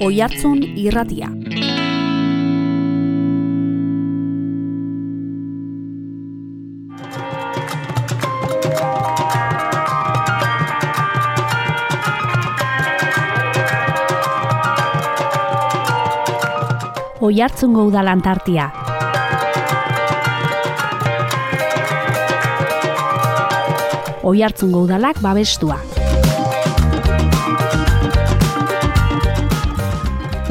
Oihartzun Irratia. Oihartzungo Udalan tartea. Oihartzungo Udalak babestua.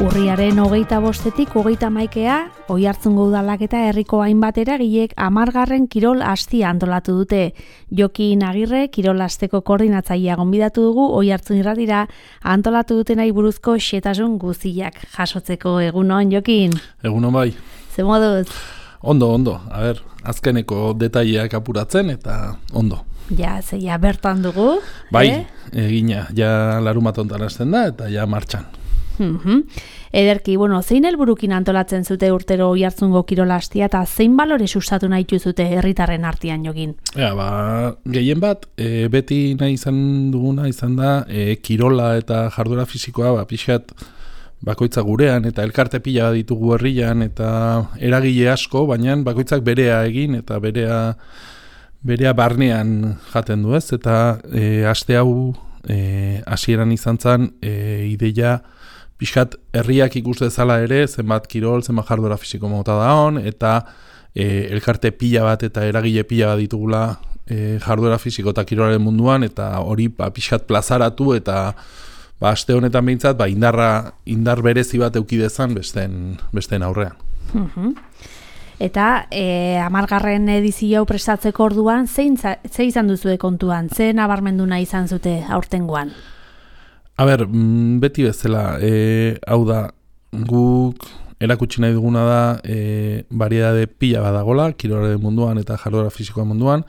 Urriaren 25-etik 31 Oihartzungo Udalak eta herriko hainbat eragilek 10. kirol astia antolatu dute. Jokin Agirre kirol asteko koordinatzailea gonbidatu dugu Oihartzun Irratira antolatu dutenai buruzko xehetasun guztiak jasotzeko. Egunon, Jokin? Egunon bai. Ze moduz? Ondo. A ber, azkeneko detaileak apuratzen eta ondo. Ja, zeia bertan dugu. Bai, egina, ja larumatontan hasten da eta ja martxan. Ederki, zein helburukin antolatzen zute urtero Oihartzungo kirolastia eta zein balore sustatu nahi zute herritarren artean, Jokin? Gehien bat, beti nahi izan duguna izan da kirola eta jarduera fisikoa pixkat bakoitza gurean eta elkarte pila ditugu herrian eta eragile asko, baina bakoitzak berea egin eta berea barnean jaten du ez, eta aste hau hasieran izan zen ideia pixkat herriak ikus dezala ere, zenbat kirol, zenbat jarduera fisiko mota da hon, eta elkarte pila bat eta eragile pila bat ditugula jarduera fisiko eta kirolaren munduan, eta hori pixkat plazaratu eta aste honetan behintzat indar berezi bat eukidezan besteen aurrean. Eta 10. edizio hau prestatzeko orduan, ze izan duzue kontuan, ze nabarmendu nahi izan zute aurtengoan? A ber, beti bezala, hau da, guk erakutsi nahi duguna da variedade pila badagola, kirolaren munduan eta jarduera fisikoa munduan,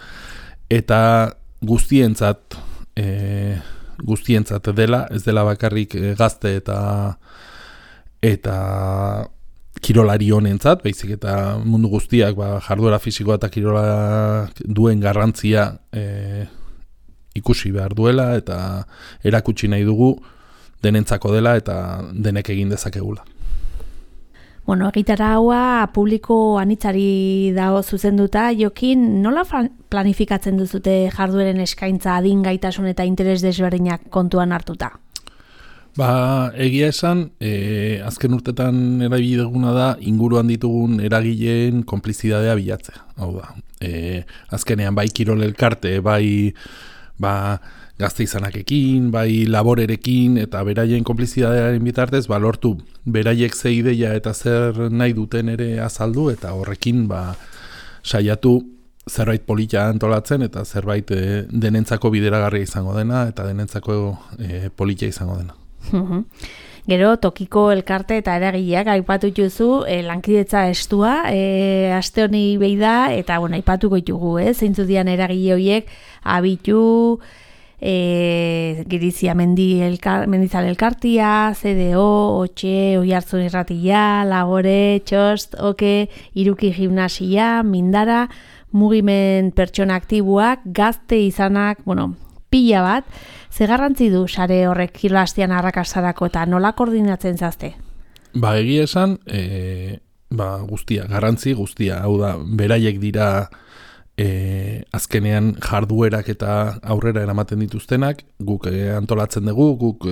eta guztientzat dela, ez dela bakarrik gazte eta kirolari honentzat, baizik eta mundu guztiak jarduera fisikoa eta kirola duen garrantzia ikusi behar duela eta erakutsi nahi dugu denentzako dela eta denek egin dezakegula. Egitara haua publiko anitzari dago zuzenduta, Jokin, nola planifikatzen duzute jardueren eskaintza adin gaitasun eta interes desberdinak kontuan hartuta? Egia esan, azken urtetan erabili duguna da inguruan ditugun eragileen konplizidadea bilatzea. Hau da, azkenean bai kirol elkarte, bai gazte izanakekin, bai laborerekin eta beraien konplizidadearen bitartez lortu beraiek ze ideia eta zer nahi duten ere azaldu eta horrekin saiatu zerbait polita antolatzen eta zerbait denentzako bideragarria izango dena eta denentzako polita izango dena. Gero, tokiko elkarte eta eragileak aipatu duzu lankidetza estua, aste honi behi da, eta aipatuko ditugu, zeintzu dian eragile horiek, Abitu, Girizia Mendizal elkartia, CDO, Otxe, Oihartzun Irratia, Labore, Txost, Oke, Iruki Gimnasia, Mindara, Mugimen Pertsona Aktiboak, Gazte izanak, pila bat. Ze garrantzi du sare horrek kirolastia arrakastarako eta nola koordinatzen zazte? Egia esan, garrantzi guztia, hau da, beraiek dira azkenean jarduerak eta aurrera eramaten dituztenak, guk antolatzen dugu, guk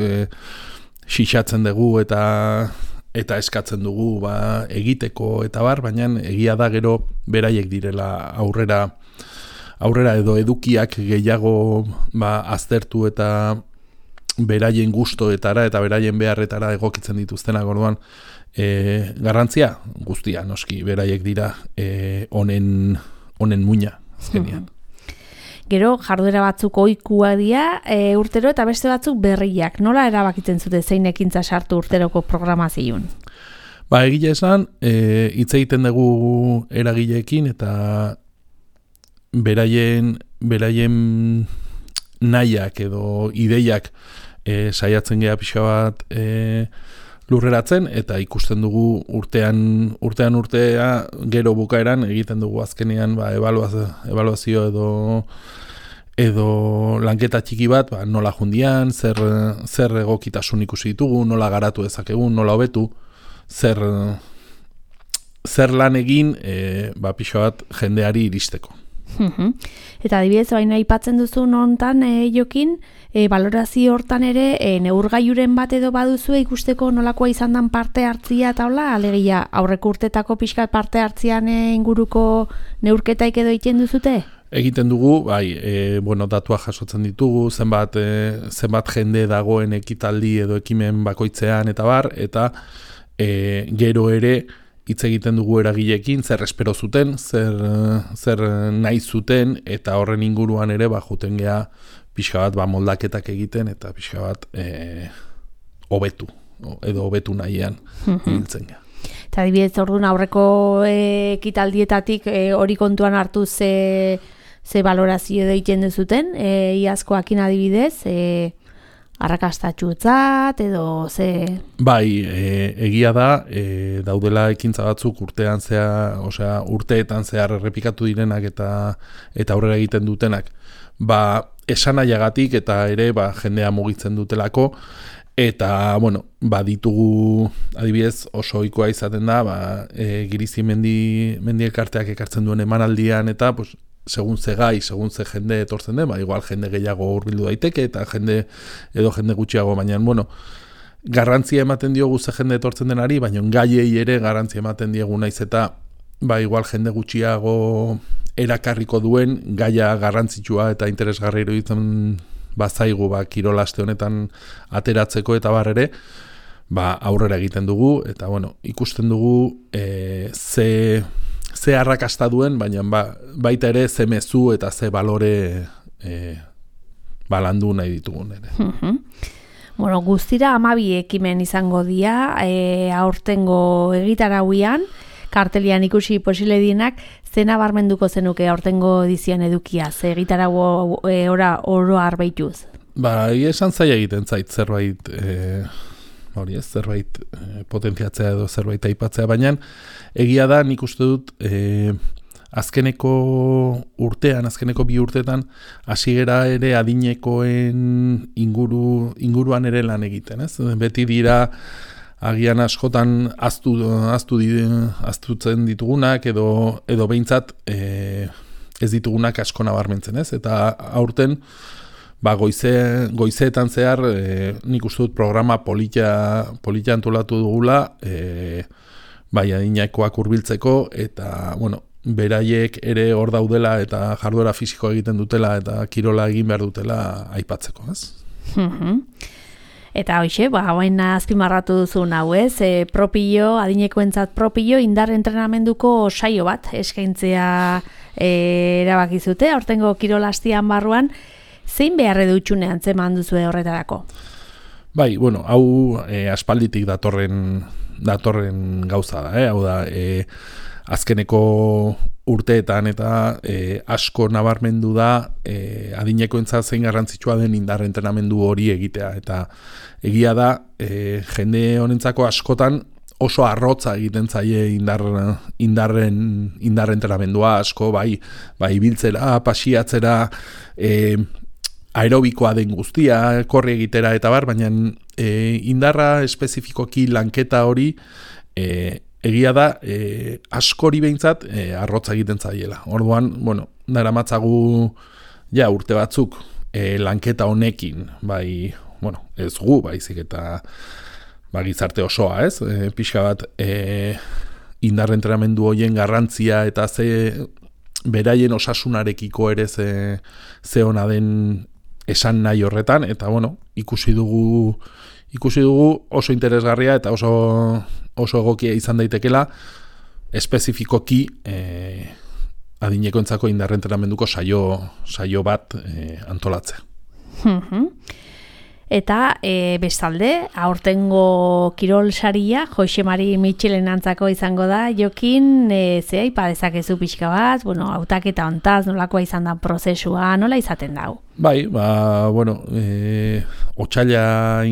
xixatzen dugu eta eskatzen dugu egiteko eta baina egia da gero beraiek direla aurrera edo edukiak gehiago aztertu eta beraien gustoetara eta beraien beharretara egokitzen dituztenak, orduan garrantzia guztia noski beraiek dira honen muina azkenean. Gero jarduera batzuk ohikoak dira urtero eta beste batzuk berriak. Nola erabakitzen zute zein ekintza sartu urteroko programazioan? Egia esan, hitz egiten dugu eragileekin eta beraien nahiak edo ideiak saiatzen gea pixka bat lurreratzen eta ikusten dugu urtea gero bukaeran egiten dugu azkenean ebaluazio edo lanketa txiki bat, ba, nola jundian, zer egokitasun ikusi ditugu, nola garatu dezakegun, nola hobetu, zer lan egin ba, pixo bat jendeari iristeko. Eta adibidez, baina aipatzen duzun hontan, Jokin, balorazio hortan ere, neurgailuren bat edo baduzu ikusteko nolakoa izan dan parte hartzia eta hola, alegia aurreko urtetako pixkat parte hartzian inguruko neurketaik edo egiten duzute? Egiten dugu, bai, bueno, datuak jasotzen ditugu, zenbat jende dagoen ekitaldi edo ekimen bakoitzean eta bar, eta gero ere, hitz egiten dugu eragileekin, zer espero zuten, zer nahi zuten, eta horren inguruan ere, ba, juten gea pixka bat ba, moldaketak egiten, eta pixka bat hobetu, edo hobetu nahian hiltzen gea. Eta adibidez, orduan aurreko ekitaldietatik hori kontuan hartu ze balorazio egiten duzuten, iazkoakin adibidez, arrakastatxuetzat edo ze... Bai, egia da, daudela ekintza batzuk urteetan zehar errepikatu direnak eta aurrera egiten dutenak. Ba, esanaiagatik eta ere ba, jendea mugitzen dutelako, eta, bueno, ba, ditugu adibidez oso ohikoa izaten da, ba, Girizi mendi elkarteak ekartzen duen emanaldian eta, pues, segun ze gai, segun ze jende etortzen den, ba, igual jende gehiago hurbildu daiteke eta jende gutxiago, baina, bueno, garrantzia ematen diogu ze jende etortzen denari, baina gaiei ere garrantzia ematen diegu naiz eta, ba, igual jende gutxiago erakarriko duen, gaia garrantzitsua eta interesgarri iruditzen bazaigu, ba, kirol aste honetan ateratzeko eta bar ere, ba, aurrera egiten dugu, eta, bueno, ikusten dugu ze arrakasta duen, baina baita ere ze mezu eta ze balore balandu nahi ditugun ere. Bueno, guztira 12 ekimen izango dira, aurtengo egitarauian, kartelian ikusi posible dienak, zena barmenduko zenuke aurtengo edizioan edukia, ze egitarau oro arbeituz? Ba, esan zaila egiten zait zerbait... hori ez, zerbait potentziatzea edo zerbait aipatzea, baina egia da nik uste dut azkeneko bi urteetan hasi gera ere adinekoen inguruan ere lan egiten, ez? Beti dira agian askotan aztutzen ditugunak edo behintzat ez ditugunak asko nabarmentzen, ez? Eta aurten ba, goizeetan zehar nik uste dut programa polita antolatu dugula, bai adinekoak hurbiltzeko eta, bueno, beraiek ere hor daudela eta jarduera fisikoa egiten dutela eta kirola egin behar dutela aipatzeko, ez? Eta hoxe, ba, hain azpimarratu duzun hau ez, adinekoentzat propio indar entrenamenduko saio bat eskaintzea erabakizute, aurtengo kirolastian barruan, zein beharre dutxunean zeman duzu horretarako? Bai, bueno, hau aspalditik datorren gauza da, hau da, azkeneko urteetan eta asko nabarmendu da adinekoentzat zein garrantzitsua den indar entrenamendu hori egitea, eta egia da jende honentzako askotan oso arrotza egiten zaie indarren entrenamendua asko, bai ibiltzera, pasiatzera, aerobikoa den guztia, korri egitera eta bar, baina indarra espezifikoki lanketa hori egia da askori behintzat arrotza egiten zaiela. Orduan, bueno, daramatzagu ja urte batzuk lanketa honekin, bai, bueno, ez gu, baizik eta gizarte osoa, ez? Pixka bat indar entrenamendu horien garrantzia eta ze beraien osasunarekiko ere ze ona den esan nahi horretan, eta bueno, ikusi dugu oso interesgarria eta oso egokia izan daitekela espezifikoki adinekoentzako indar entrenamenduko saio bat antolatzea. Eta bestalde, aurtengo kirol saria, Jose Mari Mitxelen antzako izango da, Jokin, ze aipa dezakezu pixka bat, bueno, hautaketa hontaz, nolakoa izan da prozesua, nola izaten dau? Bai, ba, bueno, otsaila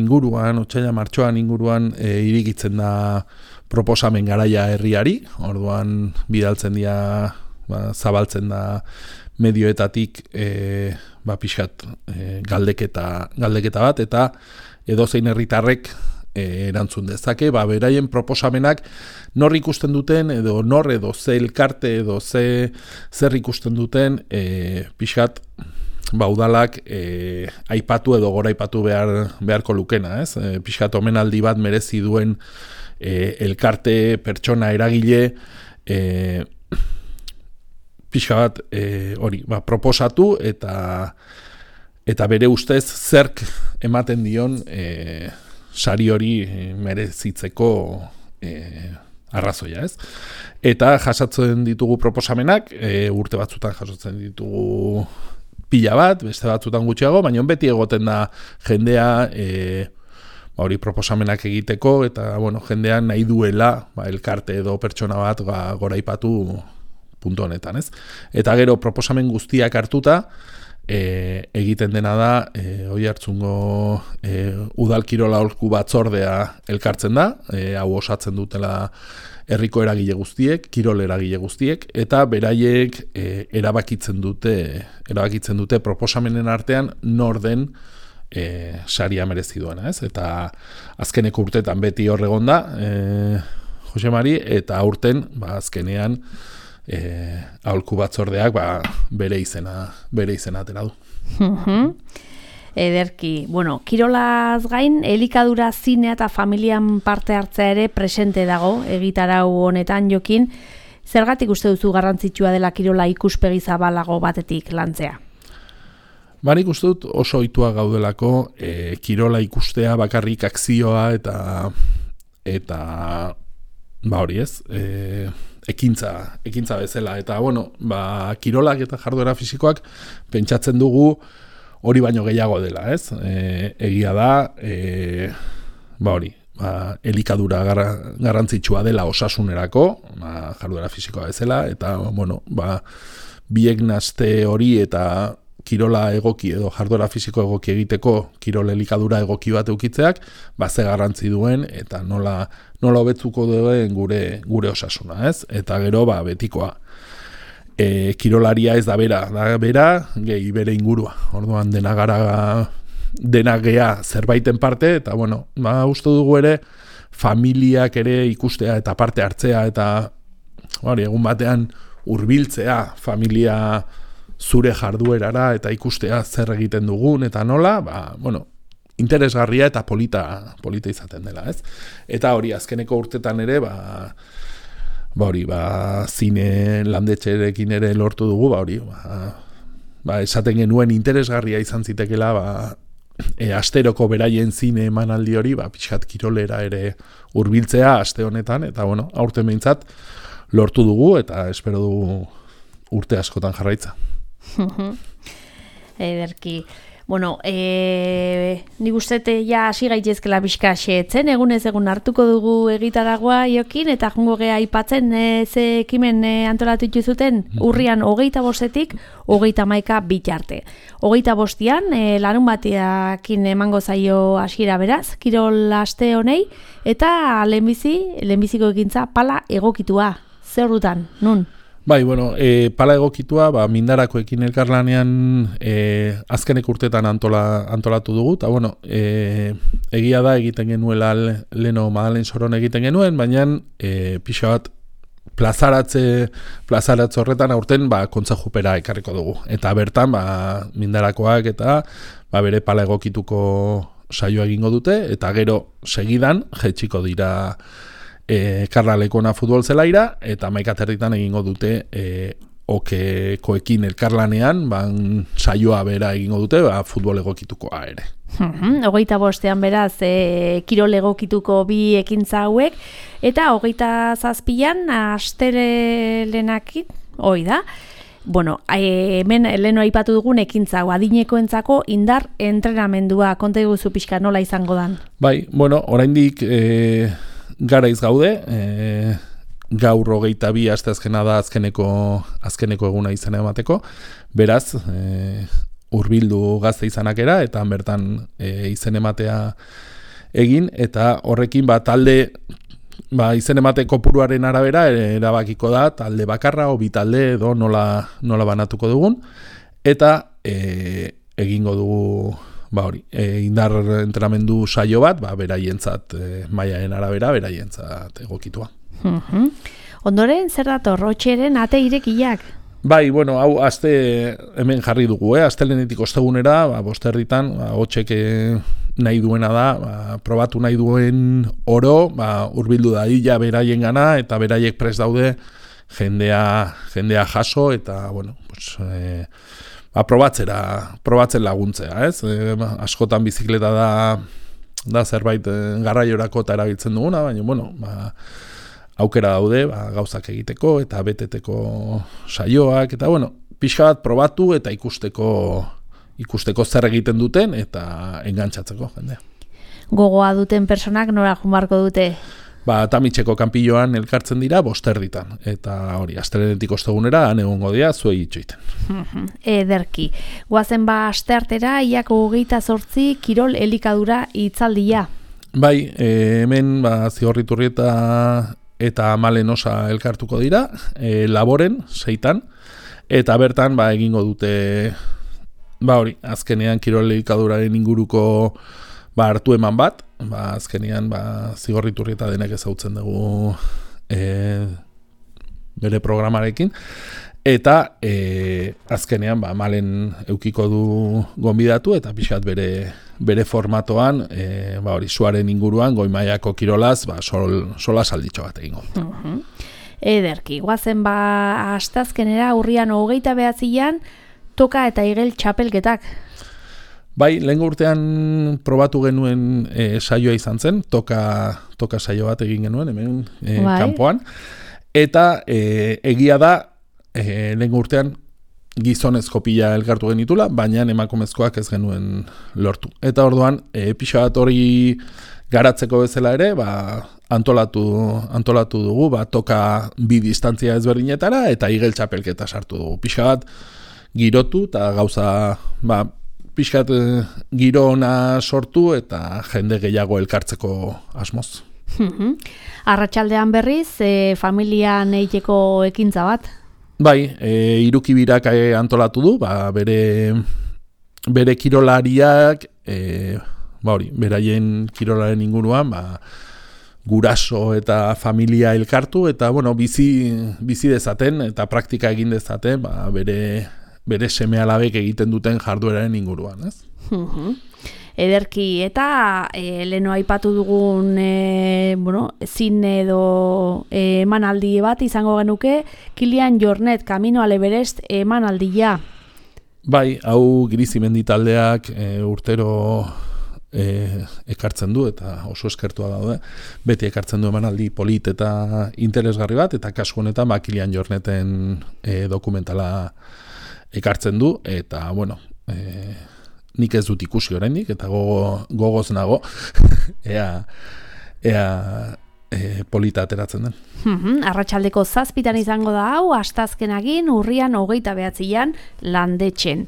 martxoan inguruan irikitzen da proposamen garaia herriari, orduan bidaltzen dira, zabaltzen da medioetatik pixkat galdeketa bat, eta edozein herritarrek erantzun dezake, beraien proposamenak nor ikusten duten, edo ze elkarte, edo zer ikusten duten, pixkat udalak aipatu edo goraipatu beharko lukena, ez? Pixkat omenaldi bat merezi duen elkarte, pertsona, eragile, pixka bat proposatu eta bere ustez zerk ematen dion sari hori merezitzeko arrazoia, ez? Eta jasatzen ditugu proposamenak, urte batzutan jasotzen ditugu pila bat, beste batzutan gutxiago, baina beti egoten da jendea hori proposamenak egiteko, eta jendean nahi duela elkarte edo pertsona bat goraipatu puntu honetan, ez? Eta gero proposamen guztiak hartuta, egiten dena da, Oiartzungo udal kirola aholku batzordea elkartzen da, hau osatzen dutela herriko eragile guztiek, kirol eragile guztiek, eta beraiek erabakitzen dute proposamenen artean nor den saria merezi duena, ez? Eta azkeneko urtetan beti hor egon da, Jose Mari, eta aurten azkenean aholku batzordeak bere izena atera du. Ederki, kirolaz gain, elikadura, zinea eta familian parte hartzea ere presente dago, egitarau honetan Jokin. Zergatik uste duzu garrantzitsua dela kirola ikuspegi zabalago batetik lantzea? Nik uste dut oso ohitua gaudelako kirola ikustea bakarrik akzioa eta hori ez, ekintza bezala, eta kirolak eta jarduera fisikoak pentsatzen dugu hori baino gehiago dela, ez? Egia da, elikadura garrantzitsua dela osasunerako, jarduera fisikoa bezala, eta biek naste hori eta kirola egoki edo jarduera fisiko egoki egiteko kirol elikadura egoki bat eukitzeak, ze garrantzi duen eta nola hobetzuko duen gure osasuna, ez? Eta gero betikoa. Kirolaria ez da bera gehi bere ingurua. Orduan dena gea zerbaiten parte, eta uste dugu ere familiak ere ikustea eta parte hartzea, eta egun batean hurbiltzea familia zure jarduerara eta ikustea zer egiten dugun eta nola, interesgarria eta polita izaten dela, ez? Eta hori azkeneko urtetan ere, zine landetxerekin ere lortu dugu, esaten genuen interesgarria izan zitekela, asteroko beraien zine emanaldi hori, pixkat kirolera ere hurbiltzea aste honetan, eta aurten behintzat lortu dugu, eta espero dugu urte askotan jarraitza. Ederki. Nik uste ja hasi gaitezkela pixka xeetzen, egunez egun hartuko dugu egitaragoa Jokin, eta jongo gea aipatzen ze ekimen antolatu dituzuten urrian 25-etik 31 bitarte. 25ean larun bateakin emango zaio hasiera beraz, kirol aste honei, eta lehenbiziko ekintza pala egokitua. Zer dutan, nun? Pala egokitua, Mindarakoekin elkarlanean azkenek urtetan antolatu dugu, eta egia da egiten genuela leno Madalen Soron egiten genuen, baina pixa bat plazaratze horretan aurten kontzejupera ekarriko dugu. Eta bertan Mindarakoak eta bere pala egokituko saioa egingo dute, eta gero segidan jetxiko dira Karlalekona futbol zelaira, eta 11:00 egingo dute okekoekin elkarlanean, saioa bera egingo dute, futbol egokitukoa ere. 25ean beraz, kirol egokituko bi ekintza hauek, eta 27ean astelelenakin, hoi da. Hemen leheno aipatu dugun ekintza hau, adinekoentzako indar entrenamendua, konta iguzu pixka nola izango dan? Oraindik garaiz gaude, gaur 22 asteazkena da azkeneko eguna izena emateko, beraz, hurbildu gazte izanakera, eta bertan izen ematea egin, eta horrekin talde izen emate kopuruaren arabera erabakiko da talde bakarra o bi talde edo nola banatuko dugun, eta egingo dugu indar entrenamendu saio bat, beraientzat mailaren arabera, beraientzat egokitua. Ondoren, zer dator, otxeren ate irekiak? Bai, hau aste hemen jarri dugu, astelenetik ostegunera, 5:00 hotxek nahi duena da, probatu nahi duen oro, hurbildu dadila beraien gana, eta beraiek prest daude jendea jaso, eta, probatzen laguntzea, ez? Askotan bizikleta da zerbait garraiorako eta erabiltzen duguna, baina, aukera daude, gauzak egiteko eta beteteko saioak, eta, pixka bat probatu eta ikusteko zer egiten duten eta engantzatzeko jendea. Gogoa duten personak nora jumarko dute? Tamitxeko kanpilloan elkartzen dira 5:00, eta hori, astelenetik ostegunera han egongo dira zuei itxoiten. Ederki. Goazen asteartera, iako 28 kirol elikadura hitzaldia. Bai, hemen Zigorriturri eta Malen Osa elkartuko dira, Laboren, 6:00, eta bertan egingo dute, azkenean kirol elikaduraren inguruko hartu eman bat, azkenean Zigorriturri eta denek ezautzen dugu bere programarekin, eta azkenean Malen eukiko du gonbidatu eta pixat bere formatoan, suaren inguruan, goi mailako kirolaz, sola salditxo bat egingo dut. Ederki, guazen astazkenera urrian 29an, toka eta igel txapelketak. Bai, lehen urtean probatu genuen saioa izan zen, toka saio bat egin genuen, hemen kanpoan, eta egia da, lehen urtean gizonezko pila elkartu genitula, baina emakumezkoak ez genuen lortu. Eta orduan, pixa bat hori garatzeko bezala ere, antolatu dugu, toka bi distantzia ezberdinetara, eta igel txapelketa sartu dugu. Pixa bat girotu, eta gauza, pixkat giro ona sortu, eta jende gehiago elkartzeko asmoz. Arratsaldean berriz, familian eiteko ekintza bat? Bai, Irukibirak antolatu du, bere kirolariak, beraien kirolaren inguruan, guraso eta familia elkartu, eta bizi dezaten, eta praktika egin dezaten, bere seme-alabek egiten duten jardueraren inguruan, ez? Ederki, eta leheno aipatu dugun zine edo emanaldi bat izango genuke, Kilian Jornet, Camino al Everest emanaldia. Bai, hau Girizimendi taldeak urtero ekartzen du, eta oso eskertua daude, beti ekartzen du emanaldi polit eta interesgarri bat, eta kasu honetan Kilian Jorneten dokumentala ekartzen du, eta, nik ez dut ikusi oraindik eta gogoz nago ea polita ateratzen den. Arratsaldeko 7:00 izango da hau, astazkenagin urrian 29an Landetxen.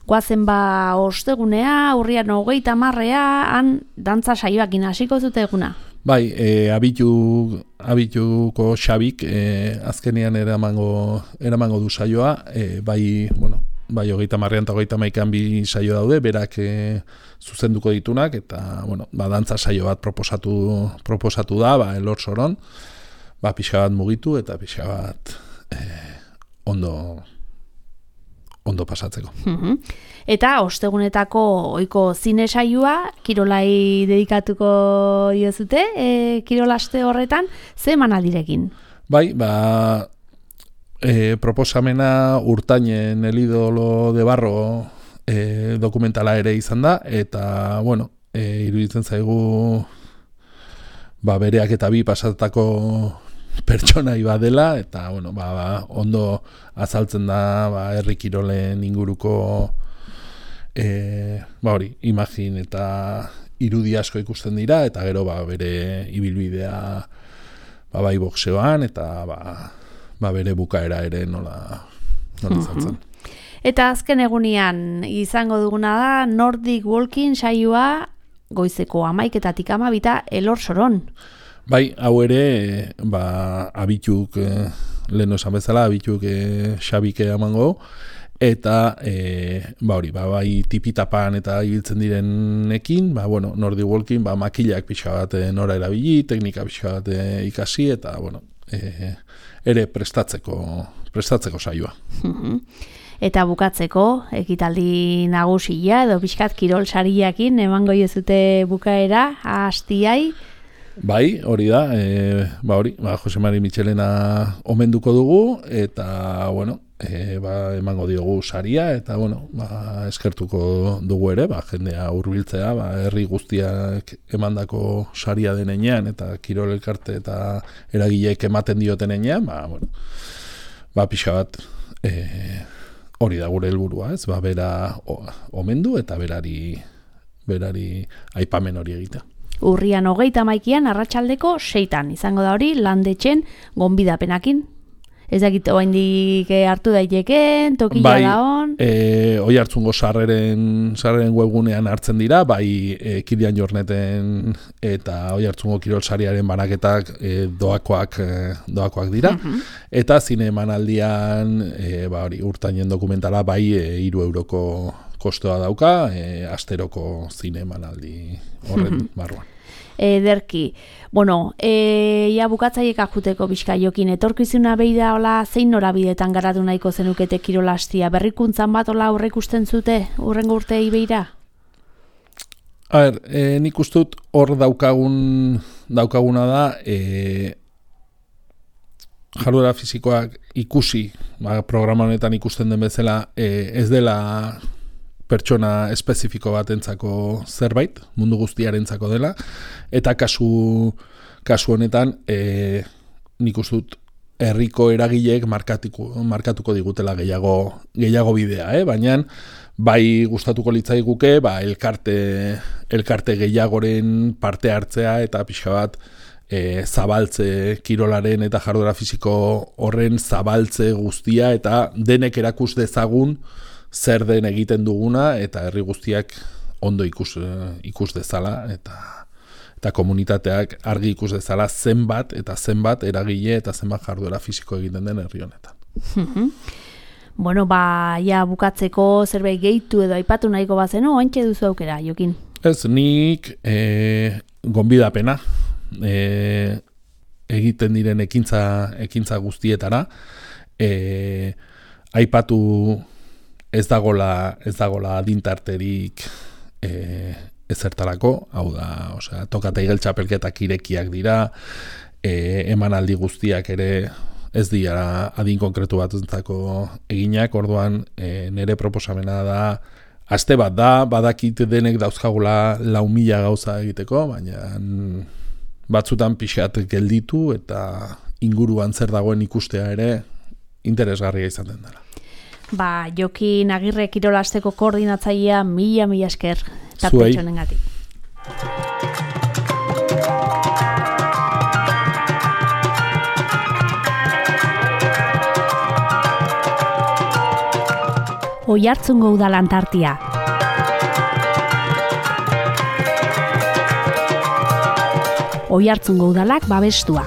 Goazen ostegunea, urrian 30 han dantza saioakin hasiko zute eguna. Bai, abituko Xabik azkenean eramango du saioa, bai 30an eta 31an bi saio daude, berak zuzenduko ditunak, eta dantza saio bat proposatu da, Elor Soron, pixka bat mugitu eta pixka bat ondo pasatzeko. Eta ostegunetako ohiko zine saioa kirolai dedikatuko diozute, kirolaste horretan, ze emanaldirekin? Bai, proposamena Urtainen El ídolo de barro dokumentala ere izan da, eta, iruditzen zaigu bereak eta bi pasatako pertsonai badela, eta, ondo azaltzen da, herri kirolen inguruko imagin eta irudi asko ikusten dira, eta gero, bere ibilbidea, bai boxeoan, eta, bere bukaera ere nola izan zen. Eta azken egunean izango duguna da Nordic Walking saioa goizeko 11:00 Elor Soron. Bai, hau ere, abituk, lehen esan bezala, abituk Xabike emango, eta bai tipitapan eta ibiltzen direnekin, Nordic Walking, makilak pixka bat nora erabili, teknika pixka bat ikasi, eta ere prestatzeko saioa. Eta bukatzeko, ekitaldi nagusia edo pixkat kirol sariakin emango jozute bukaera, hastiai? Bai, hori da, Jose Mari Michelena omenduko dugu, eta, emango diogu saria, eta, eskertuko dugu ere, jendea hurbiltzea, herri guztiak emandako saria denean, eta kirol elkarte eta eragileek ematen dioten enean, pixka bat, hori da gure helburua, ez? Bera omendu eta berari aipamen hori egitea. Urrian 31 arratsaldeko 6 izango da hori landetxen gonbidapenakin. Ez dakit oraindik hartu daiteken, tokila da on. Oiartzungo sarreren webgunean hartzen dira, Kilian Jorneten eta Oiartzungo kirol sariaren banaketak doakoak dira. Eta zine emanaldian urtainen dokumentala 3 euroko kostoa dauka, asteroko zine emanaldi horren barruan. Ederki. Ja bukatzaiek ajuteko bizka jokin, etorkizuna behi da hola zein norabidetan garatu nahiko zenukete kirolastia, berrikuntzan bat hola aurreikusten zute urrengo urtei behira? Nik ustut hor daukaguna da jarduera fisikoak ikusi, programa honetan ikusten den bezala, ez dela pertsona espezifiko batentzako zerbait, mundu guztiarentzako dela, eta kasu honetan nik uste dut herriko eragileek markatuko digutela gehiago bidea, baina bai gustatuko litzaiguke elkarte gehiagoren parte hartzea eta pixka bat zabaltze kirolaren eta jarduera fisiko horren zabaltze guztia eta denek erakus dezagun zer den egiten duguna eta herri guztiak ondo ikus dezala eta komunitateak argi ikus dezala zenbat eragile eta zenbat jarduera fisiko egiten den herri honetan. Ja bukatzeko zerbait gehitu edo aipatu nahiko bazenu, ointxe duzu aukera, Jokin? Ez, nik gonbidapena egiten diren ekintza guztietara, aipatu ez dagola adintarterik ezertarako, hau da, tokata igel txapelketak irekiak dira, emanaldi guztiak ere ez dira adin konkretu batentzako eginak, orduan nire proposamena da, aste bat da, badakit denek dauzkagula 4.000 gauza egiteko, baina batzutan pixat gelditu eta inguruan zer dagoen ikustea ere interesgarria izaten dela. Jokin Agirre kirolasteko koordinatzailea mila esker tartetxonengatik. Oiartzungo udalan tartia. Oiartzungo udalak babestua.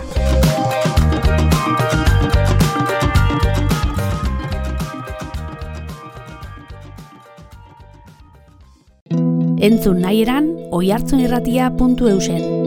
Entzun nahi eran, oiartzunirratia.eusen.